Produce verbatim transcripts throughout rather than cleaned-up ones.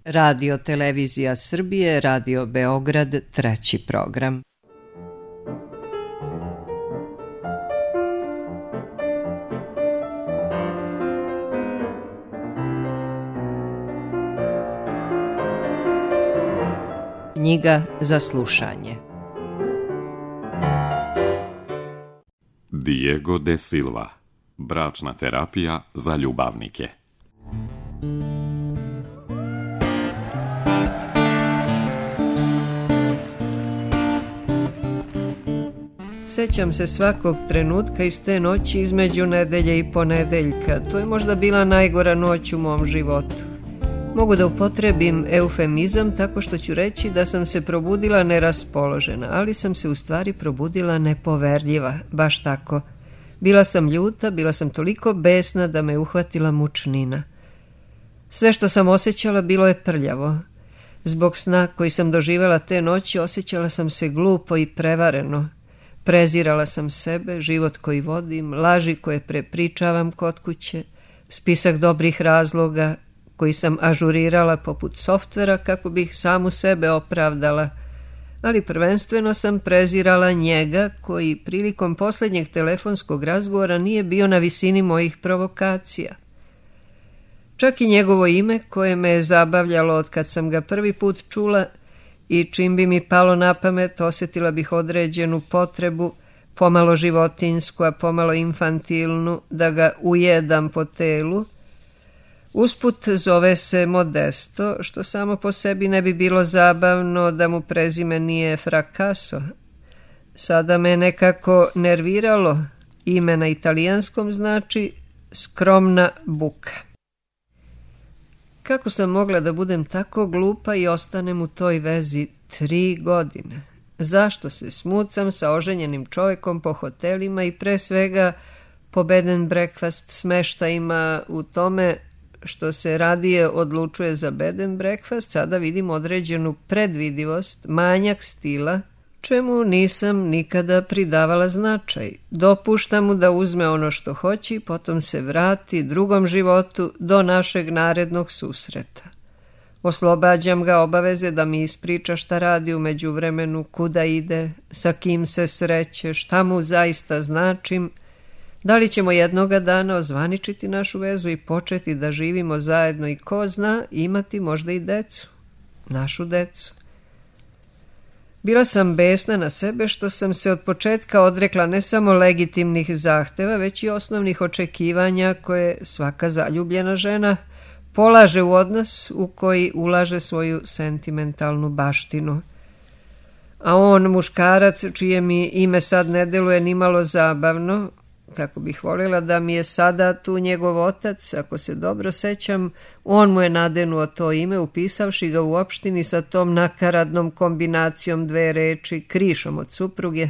Radio Televizija Srbije, Radio Beograd, treći program. Knjiga za slušanje. Diego de Silva. Bračna terapija za ljubavnike. Sećam se svakog trenutka iz te noći između nedelje i ponedeljka. To je možda bila najgora noć u mom životu. Mogu da upotrebim eufemizam tako što ću reći da sam se probudila neraspoložena, ali sam se u stvari probudila nepoverljiva, baš tako. Bila sam ljuta, bila sam toliko besna da me uhvatila mučnina. Sve što sam osjećala bilo je prljavo. Zbog sna koji sam doživjela te noći osjećala sam se glupo i prevareno. Prezirala sam sebe, život koji vodim, laži koje prepričavam kod kuće, spisak dobrih razloga koji sam ažurirala poput softvera kako bih samu sebe opravdala, ali prvenstveno sam prezirala njega koji prilikom posljednjeg telefonskog razgovora nije bio na visini mojih provokacija. Čak i njegovo ime koje me je zabavljalo od kad sam ga prvi put čula i čim bi mi palo na pamet osjetila bih određenu potrebu, pomalo životinsku, a pomalo infantilnu, da ga ujedam po telu. Usput zove se Modesto, što samo po sebi ne bi bilo zabavno da mu prezime nije Fracasso. Sada me nekako nerviralo, ime na italijanskom znači skromna buka. Kako sam mogla da budem tako glupa i ostanem u toj vezi tri godine? Zašto se smucam sa oženjenim čovjekom po hotelima i pre svega po bed and breakfast smeštajima? U tome što se radije odlučuje za bed and breakfast, sada vidim određenu predvidivost, manjak stila, čemu nisam nikada pridavala značaj. Dopuštam mu da uzme ono što hoće i potom se vrati drugom životu do našeg narednog susreta. Oslobađam ga obaveze da mi ispriča šta radi u međuvremenu, kuda ide, sa kim se sreće, šta mu zaista značim, da li ćemo jednoga dana ozvaničiti našu vezu i početi da živimo zajedno i ko zna, imati možda i decu, našu decu. Bila sam besna na sebe što sam se od početka odrekla ne samo legitimnih zahteva, već i osnovnih očekivanja koje svaka zaljubljena žena polaže u odnos u koji ulaže svoju sentimentalnu baštinu. A on, muškarac, čije mi ime sad ne deluje nimalo zabavno, kako bih voljela da mi je sada tu njegov otac, ako se dobro sećam, on mu je nadenuo to ime, upisavši ga u opštini sa tom nakaradnom kombinacijom dve reči, krišom od supruge.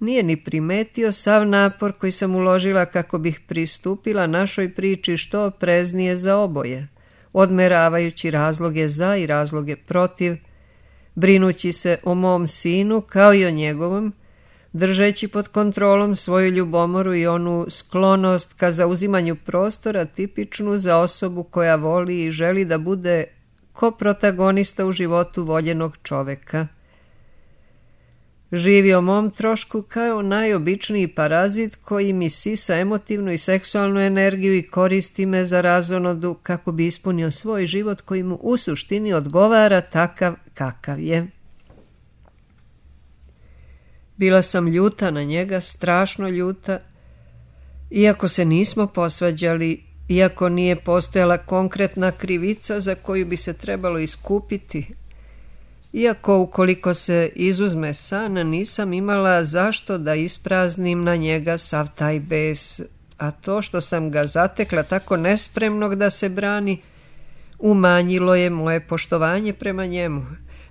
Nije ni primetio sav napor koji sam uložila kako bih pristupila našoj priči što opreznije za oboje, odmeravajući razloge za i razloge protiv, brinući se o mom sinu kao i o njegovom, držeći pod kontrolom svoju ljubomoru i onu sklonost ka zauzimanju prostora tipičnu za osobu koja voli i želi da bude koprotagonista u životu voljenog čoveka. Živi o mom trošku kao najobičniji parazit koji mi sisa emotivnu i seksualnu energiju i koristi me za razonodu kako bi ispunio svoj život koji mu u suštini odgovara takav kakav je. Bila sam ljuta na njega, strašno ljuta, iako se nismo posvađali, iako nije postojala konkretna krivica za koju bi se trebalo iskupiti, iako ukoliko se izuzme san, nisam imala zašto da ispraznim na njega sav taj bes, a to što sam ga zatekla tako nespremnog da se brani, umanjilo je moje poštovanje prema njemu.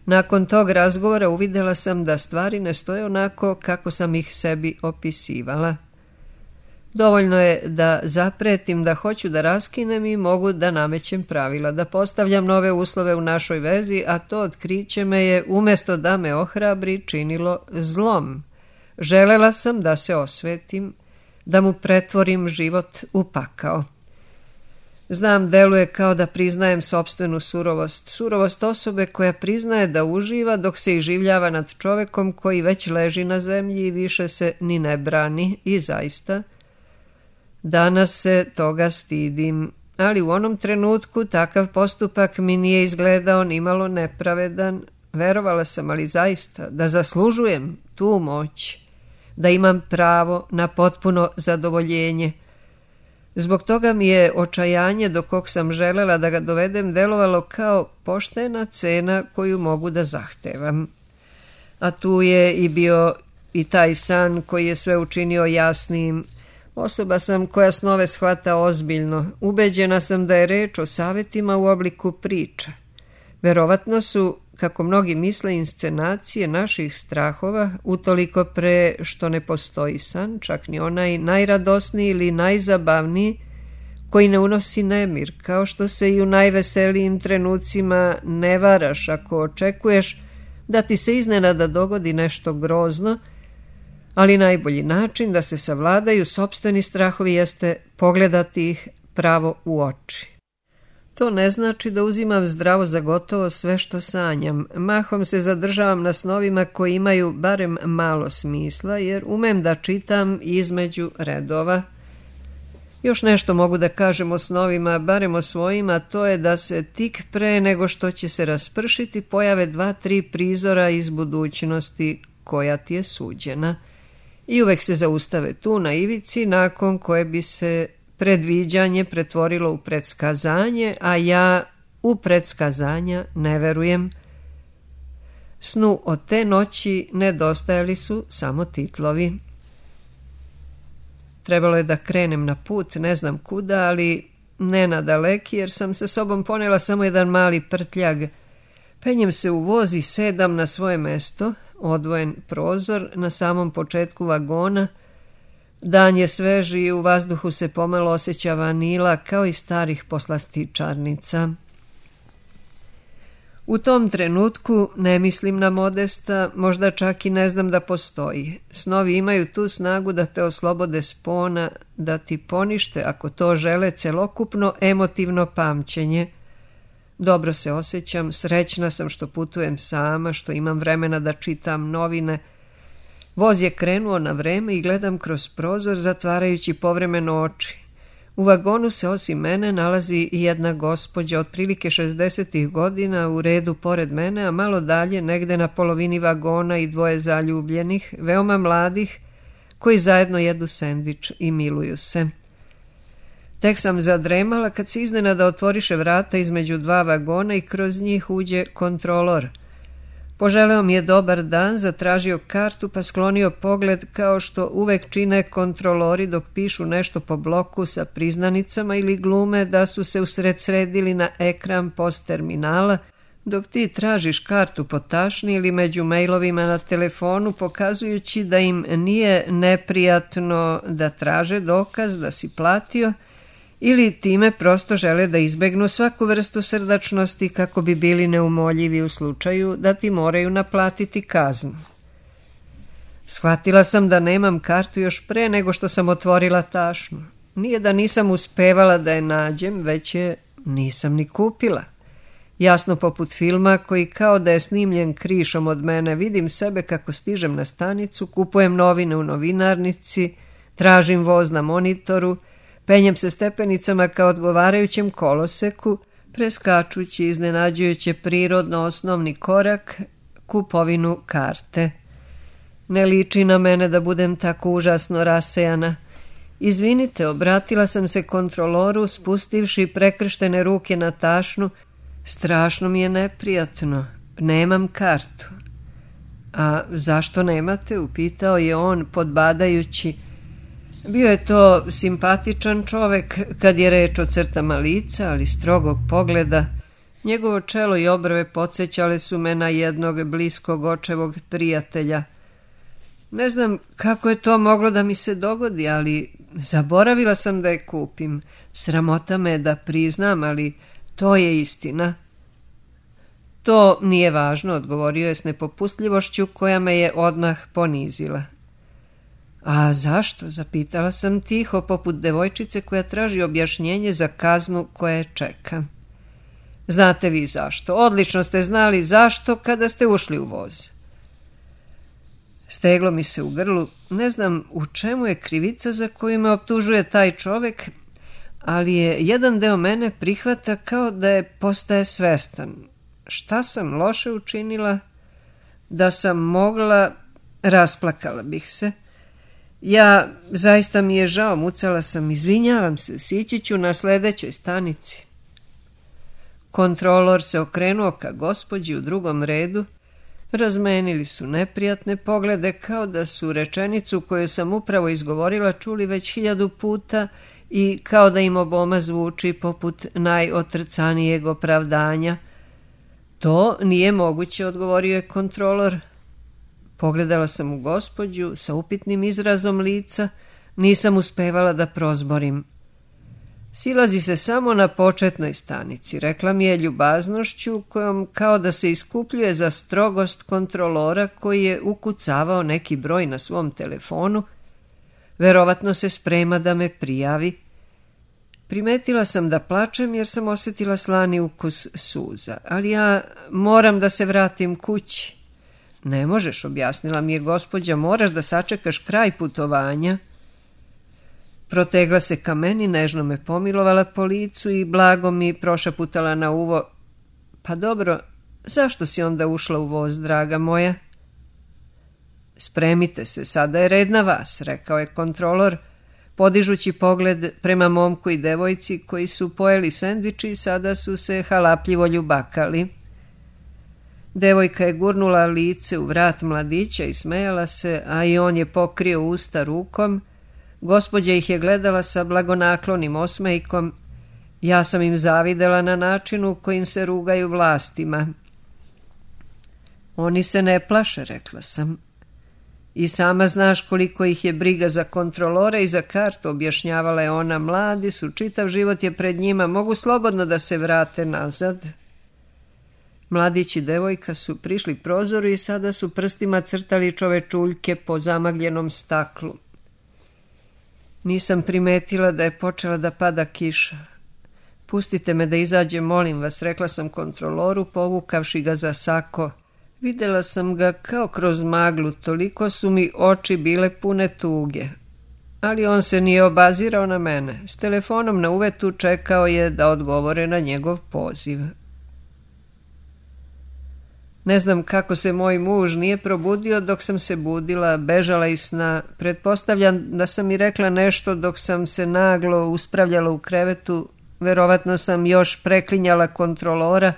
Nakon tog razgovora uvidjela sam da stvari ne stoje onako kako sam ih sebi opisivala. Dovoljno je da zapretim da hoću da raskinem i mogu da namećem pravila, da postavljam nove uslove u našoj vezi, a to otkriće me je, umjesto da me ohrabri, činilo zlom. Želela sam da se osvetim, da mu pretvorim život u pakao. Znam, deluje kao da priznajem sopstvenu surovost. Surovost osobe koja priznaje da uživa dok se iživljava nad čovekom koji već leži na zemlji i više se ni ne brani. I zaista, danas se toga stidim. Ali u onom trenutku takav postupak mi nije izgledao nimalo nepravedan. Verovala sam, ali zaista, da zaslužujem tu moć, da imam pravo na potpuno zadovoljenje. Zbog toga mi je očajanje do kog sam želela da ga dovedem delovalo kao poštena cena koju mogu da zahtevam. A tu je i bio i taj san koji je sve učinio jasnijim. Osoba sam koja snove shvata ozbiljno. Ubeđena sam da je reč o savjetima u obliku priča. Verovatno su, kako mnogi misle, inscenacije naših strahova, utoliko pre što ne postoji san, čak ni onaj najradosniji ili najzabavniji, koji ne unosi nemir, kao što se i u najveselijim trenucima ne varaš ako očekuješ da ti se iznenada dogodi nešto grozno, ali najbolji način da se savladaju sopstveni strahovi jeste pogledati ih pravo u oči. To ne znači da uzimam zdravo za gotovo sve što sanjam. Mahom se zadržavam na snovima koji imaju barem malo smisla, jer umem da čitam između redova. Još nešto mogu da kažem o snovima, barem o svojima, to je da se tik pre nego što će se raspršiti pojave dva, tri prizora iz budućnosti koja ti je suđena. I uvek se zaustave tu na ivici, nakon koje bi se predviđanje pretvorilo u predskazanje, a ja u predskazanja ne verujem. Snu od te noći nedostajali su samo titlovi. Trebalo je da krenem na put, ne znam kuda, ali ne na daleki, jer sam sa sobom ponela samo jedan mali prtljag. Penjem se u voz i sedam na svoje mesto, odvojen prozor na samom početku vagona. Dan je sveži i u vazduhu se pomalo osjeća vanila kao i starih poslastičarnica. U tom trenutku ne mislim na Modesta, možda čak i ne znam da postoji. Snovi imaju tu snagu da te oslobode spona, da ti ponište, ako to žele, celokupno emotivno pamćenje. Dobro se osjećam, srećna sam što putujem sama, što imam vremena da čitam novine. Voz je krenuo na vreme i gledam kroz prozor, zatvarajući povremeno oči. U vagonu se osim mene nalazi i jedna gospođa otprilike šezdesetih godina u redu pored mene, a malo dalje, negde na polovini vagona, i dvoje zaljubljenih, veoma mladih, koji zajedno jedu sendvič i miluju se. Tek sam zadremala kad se iznenada otvoriše vrata između dva vagona i kroz njih uđe kontrolor. Poželeo mi je dobar dan, zatražio kartu pa sklonio pogled kao što uvek čine kontrolori dok pišu nešto po bloku sa priznanicama ili glume da su se usred sredili na ekran post terminala, dok ti tražiš kartu po tašni ili među mailovima na telefonu, pokazujući da im nije neprijatno da traže dokaz da si platio, ili time prosto žele da izbegnu svaku vrstu srdačnosti kako bi bili neumoljivi u slučaju da ti moraju naplatiti kaznu. Shvatila sam da nemam kartu još pre nego što sam otvorila tašnu. Nije da nisam uspevala da je nađem, već je nisam ni kupila. Jasno poput filma koji kao da je snimljen krišom od mene, vidim sebe kako stižem na stanicu, kupujem novine u novinarnici, tražim voz na monitoru, penjem se stepenicama kao odgovarajućem koloseku, preskačući iznenađujuće prirodno osnovni korak, kupovinu karte. Ne liči na mene da budem tako užasno rasejana. Izvinite, obratila sam se kontroloru, spustivši prekrštene ruke na tašnu. Strašno mi je neprijatno. Nemam kartu. A zašto nemate? Upitao je on, podbadajući. Bio je to simpatičan čovek kad je reč o crtama lica, ali strogog pogleda. Njegovo čelo i obrve podsjećale su me na jednog bliskog očevog prijatelja. Ne znam kako je to moglo da mi se dogodi, ali zaboravila sam da je kupim. Sramota me da priznam, ali to je istina. To nije važno, odgovorio je s nepopustljivošću koja me je odmah ponizila. A zašto? Zapitala sam tiho, poput devojčice koja traži objašnjenje za kaznu koja je čeka. Znate vi zašto? Odlično ste znali zašto kada ste ušli u voz. Steglo mi se u grlu. Ne znam u čemu je krivica za koju me optužuje taj čovek, ali je jedan deo mene prihvata kao da je postaje svestan. Šta sam loše učinila? Da sam mogla, rasplakala bih se. Ja, zaista mi je žao, mucala sam, izvinjavam se, sići ću na sledećoj stanici. Kontrolor se okrenuo ka gospođi u drugom redu. Razmenili su neprijatne poglede kao da su rečenicu koju sam upravo izgovorila čuli već hiljadu puta i kao da im oboma zvuči poput najotrcanijeg opravdanja. To nije moguće, odgovorio je kontrolor. Pogledala sam u gospođu sa upitnim izrazom lica, nisam uspevala da prozborim. Silazi se samo na početnoj stanici, rekla mi je ljubaznošću kojom kao da se iskupljuje za strogost kontrolora koji je ukucavao neki broj na svom telefonu. Verovatno se sprema da me prijavi. Primetila sam da plačem jer sam osjetila slani ukus suza, ali ja moram da se vratim kući. Ne možeš, objasnila mi je gospođa, moraš da sačekaš kraj putovanja. Protegla se ka meni, nežno me pomilovala po licu i blago mi prošaputala na uvo. Pa dobro, zašto si onda ušla u voz, draga moja? Spremite se, sada je red na vas, rekao je kontrolor, podižući pogled prema momku i devojci koji su pojeli sendviči i sada su se halapljivo ljubakali. Devojka je gurnula lice u vrat mladića i smejala se, a i on je pokrio usta rukom. Gospođa ih je gledala sa blagonaklonim osmejkom. Ja sam im zavidela na načinu kojim se rugaju vlastima. Oni se ne plaše, rekla sam. I sama znaš koliko ih je briga za kontrolore i za kartu, objašnjavala je ona. Mladi su, čitav život je pred njima, mogu slobodno da se vrate nazad. Mladić i devojka su prišli prozoru i sada su prstima crtali čovečuljke po zamagljenom staklu. Nisam primetila da je počela da pada kiša. Pustite me da izađem, molim vas, rekla sam kontroloru, povukavši ga za sako. Videla sam ga kao kroz maglu, toliko su mi oči bile pune tuge. Ali on se nije obazirao na mene. S telefonom na uvetu čekao je da odgovore na njegov poziv. Ne znam kako se moj muž nije probudio dok sam se budila, bežala iz sna. Pretpostavljam da sam mi rekla nešto dok sam se naglo uspravljala u krevetu. Verovatno sam još preklinjala kontrolora.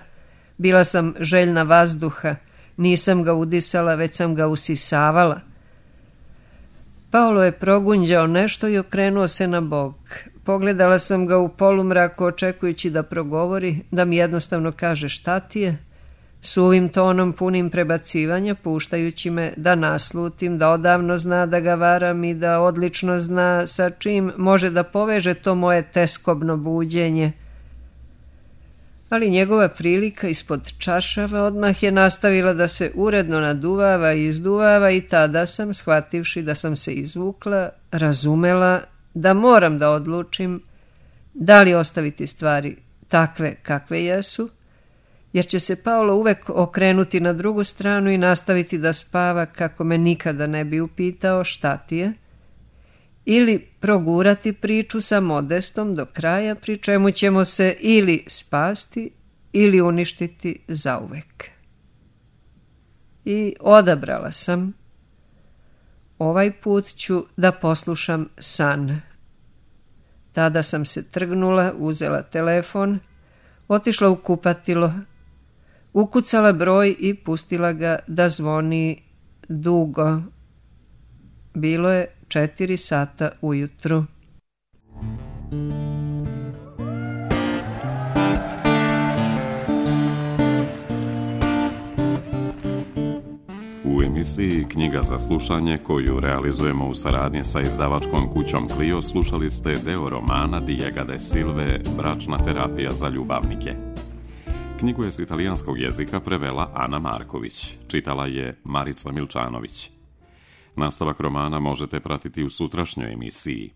Bila sam željna vazduha. Nisam ga udisala, već sam ga usisavala. Paolo je progunđao nešto i okrenuo se na bok. Pogledala sam ga u polumraku očekujući da progovori, da mi jednostavno kaže šta ti je. Suvim tonom punim prebacivanja, puštajući me da naslutim, da odavno zna da ga varam i da odlično zna sa čim može da poveže to moje teskobno buđenje. Ali njegova prilika ispod čaršava odmah je nastavila da se uredno naduvava i izduvava i tada sam, shvativši da sam se izvukla, razumela da moram da odlučim da li ostaviti stvari takve kakve jesu, jer će se Paolo uvek okrenuti na drugu stranu i nastaviti da spava kako me nikada ne bi upitao šta ti je, ili progurati priču sa Modestom do kraja, pri čemu ćemo se ili spasti ili uništiti zauvek. I odabrala sam. Ovaj put ću da poslušam san. Tada sam se trgnula, uzela telefon, otišla u kupatilo, ukucala broj i pustila ga da zvoni dugo. Bilo je četiri sata ujutru. U emisiji Knjiga za slušanje, koju realizujemo u saradnji sa izdavačkom kućom Clio, slušali ste deo romana Diega de Silve Bračna terapija za ljubavnike. Knjigu je s italijanskog jezika prevela Ana Marković, čitala je Marica Milčanović. Nastavak romana možete pratiti u sutrašnjoj emisiji.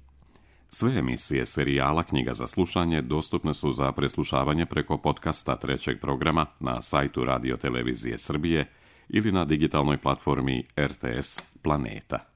Sve emisije serijala Knjiga za slušanje dostupne su za preslušavanje preko podcasta trećeg programa na sajtu Radio Televizije Srbije ili na digitalnoj platformi R T S Planeta.